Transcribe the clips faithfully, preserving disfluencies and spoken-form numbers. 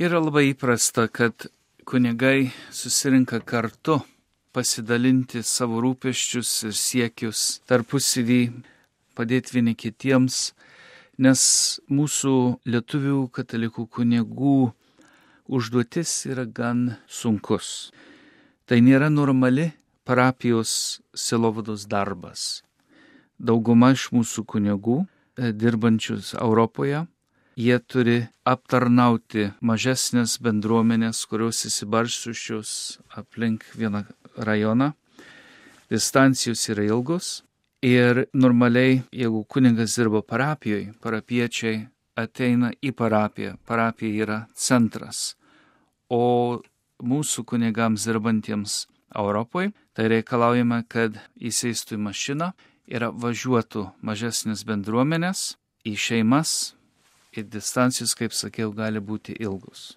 Yra labai įprasta, kad kunigai susirinka kartu pasidalinti savo rūpesčius ir siekius tarpusavį, padėti vieni kitiems, nes mūsų lietuvių katalikų kunigų užduotis yra gan sunkus. Tai nėra normali parapijos sielovados darbas. Dauguma iš mūsų kunigų, dirbančius Europoje, jie turi aptarnauti mažesnės bendruomenės, kurios įsibaršusios aplink vieną rajoną. Distancijos yra ilgos ir normaliai, jeigu kunigas dirba parapijoje, parapiečiai ateina į parapiją. Parapija yra centras. O mūsų kunigams dirbantiems Europoje, tai reikalaujame, kad įsėstų į mašiną ir važiuotų mažesnės bendruomenės į šeimas. Ir distancijos, kaip sakiau, gali būti ilgus.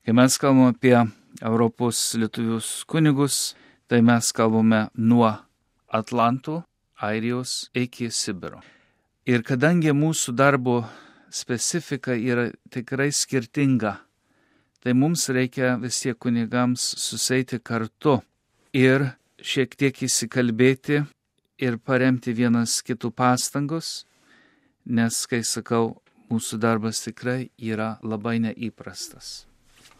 Kai mes kalbame apie Europos lietuvius kunigus, tai mes kalbame nuo Atlanto, Airijos iki Sibiro. Ir kadangi mūsų darbo specifika yra tikrai skirtinga, tai mums reikia vis tiek kunigams susėti kartu ir šiek tiek įsikalbėti ir paremti vienas kitų pastangus, nes, kai sakau, mūsų darbas tikrai yra labai neįprastas.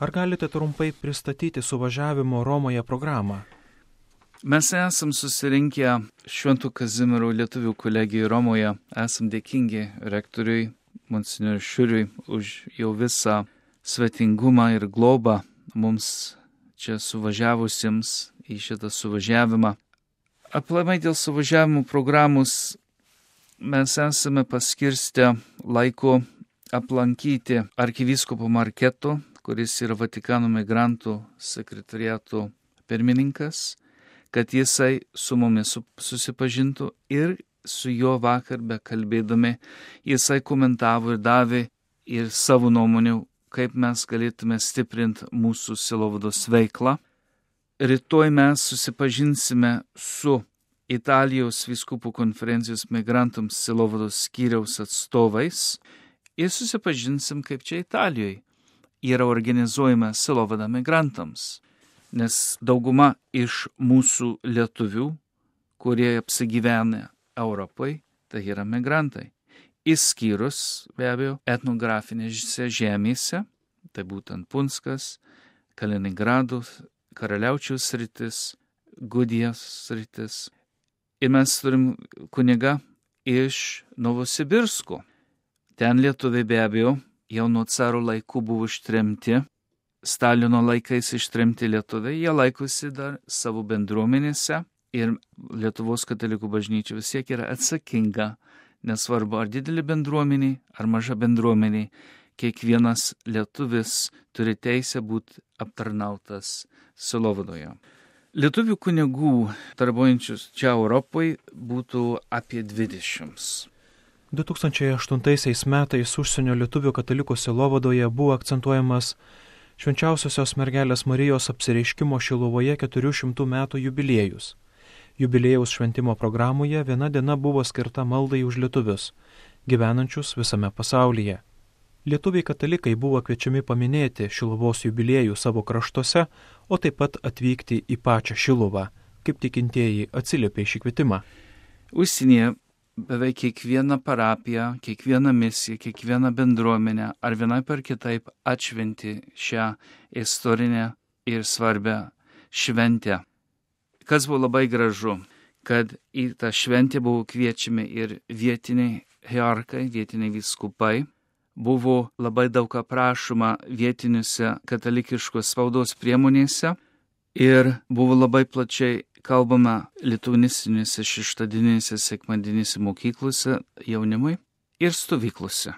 Ar galite trumpai pristatyti suvažiavimo Romoje programą? Mes esam susirinkę Švento Kazimiero lietuvių kolegijų Romoje. Esam dėkingi rektoriui, monsignoriui Šiuriui, už jau visą svetingumą ir globą mums čia suvažiavusiems į šitą suvažiavimą. Aplamai dėl suvažiavimo programos mes esame paskirstę laiko aplankyti arkivyskupo Marketo, kuris yra Vatikano migrantų sekretariato pirmininkas, kad jisai su mumis susipažintų ir su juo vakar bekalbėdami jisai komentavo ir davė ir savo nuomonių, kaip mes galėtume stiprinti mūsų sielovados veiklą. Rytoj mes susipažinsime su Italijos vyskupų konferencijos migrantams sielovados skyriaus atstovais ir susipažinsim, kaip čia Italijoje yra organizuojama sielovada migrantams, nes dauguma iš mūsų lietuvių, kurie apsigyvena Europoje, tai yra migrantai. Išskyrus, be abejo, etnografinėse žemėse, tai būtent Punskas, Kaliningrado, Karaliaučiaus sritis, Gudijos sritis. Ir mes turim kunigą iš Novosibirsko. Ten lietuviai be abejo jau nuo caro laikų buvo ištremti, Stalino laikais ištremti lietuviai, jie laikosi dar savo bendruomenėse ir Lietuvos katalikų bažnyčia vis tiek yra atsakinga, nesvarbu ar didelė bendruomenė, ar maža bendruomenė, kiekvienas lietuvis turi teisę būti aptarnautas sielovadoje. Lietuvių kunigų darbuojančius čia Europoje būtų apie dvidešimt. du tūkstančiai aštuntaisiais metais užsienio lietuvių katalikų sielovadoje buvo akcentuojamas Švenčiausiosios mergelės Marijos apsireiškimo Šiluvoje keturių šimtų metų jubiliejus. Jubiliejaus šventimo programoje viena diena buvo skirta maldai už lietuvius, gyvenančius visame pasaulyje. Lietuviai katalikai buvo kviečiami paminėti Šiluvos jubiliejų savo kraštuose, o taip pat atvykti į pačią Šiluvą, kaip tikintieji atsiliepė šį kvietimą. Užsienyje beveik kiekviena parapija, kiekviena misija, kiekviena bendruomenė ar vienaip ar kitaip atšventi šią istorinę ir svarbią šventę. Kas buvo labai gražu, kad į tą šventę buvo kviečiami ir vietiniai hierarchai, vietiniai vyskupai. Buvo labai daug aprašoma vietiniuose katalikiškos spaudos priemonėse ir buvo labai plačiai kalbama lituanistinėse šeštadieninėse sekmadieninėse mokyklose jaunimui ir stovyklose.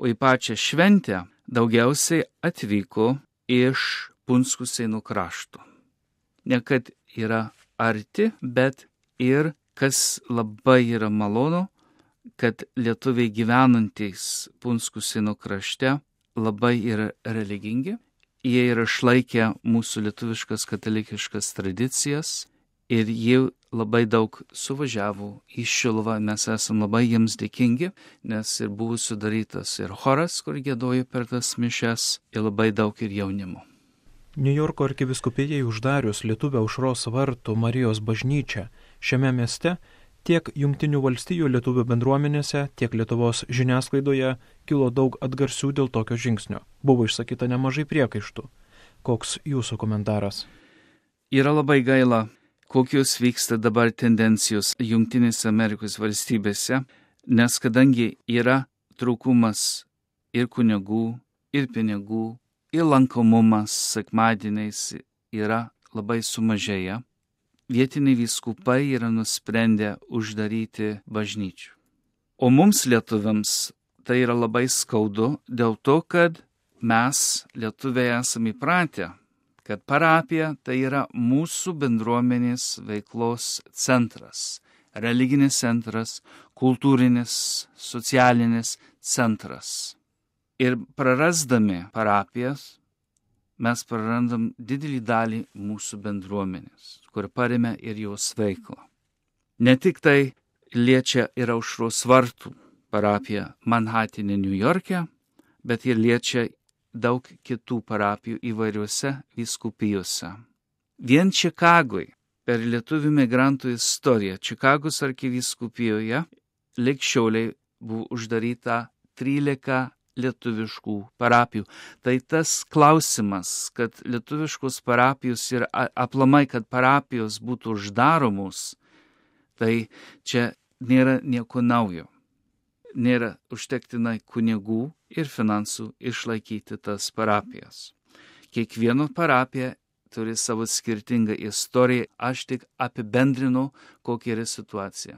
O į pačią šventę daugiausiai atvyko iš Punskų Seinų krašto. Ne kad yra arti, bet ir, kas labai yra malonu, kad lietuviai gyvenantys Punskų Seinų krašte labai yra religingi. Jie yra išlaikę mūsų lietuviškas katalikiškas tradicijas ir jie labai daug suvažiavo į Šiluvą. Mes esame labai jiems dėkingi, nes ir buvo sudarytas ir choras, kur giedojo per tas mišias, ir labai daug ir jaunimo. Niujorko arkivyskupijai uždarius Lietuvio Aušros vartų Marijos bažnyčią šiame mieste, tiek Jungtinių valstijų lietuvių bendruomenėse, tiek Lietuvos žiniasklaidoje kilo daug atgarsių dėl tokio žingsnio. Buvo išsakyta nemažai priekaištų. Koks jūsų komentaras? Yra labai gaila, kokios vyksta dabar tendencijos Jungtinėse Amerikos valstybėse, nes kadangi yra trūkumas ir kunigų, ir pinigų, ir lankomumas sekmadieniais yra labai sumažėję, vietiniai vyskupai yra nusprendę uždaryti bažnyčių. O mums lietuviams tai yra labai skaudu dėl to, kad mes lietuviai esame įpratę, kad parapija tai yra mūsų bendruomenės veiklos centras, religinis centras, kultūrinis, socialinis centras. Ir prarasdami parapijas, mes prarandam didelį dalį mūsų bendruomenės, kur paremia ir jos veiklą. Ne tik tai liečia ir Aušros vartų parapiją Manhatene, New York'e, bet ir liečia daug kitų parapijų įvairiuose vyskupijose. Vien Čikagoj per lietuvių migrantų istoriją Čikagos arkivyskupijoje lig šioliai buvo uždaryta trylika lietuviškų parapijų. Tai tas klausimas, kad lietuviškos parapijos ir aplamai, kad parapijos būtų uždaromos, tai čia nėra nieko naujo. Nėra užtektinai kunigų ir finansų išlaikyti tas parapijas. Kiekviena parapija turi savo skirtingą istoriją, aš tik apibendrinu, kokia yra situacija.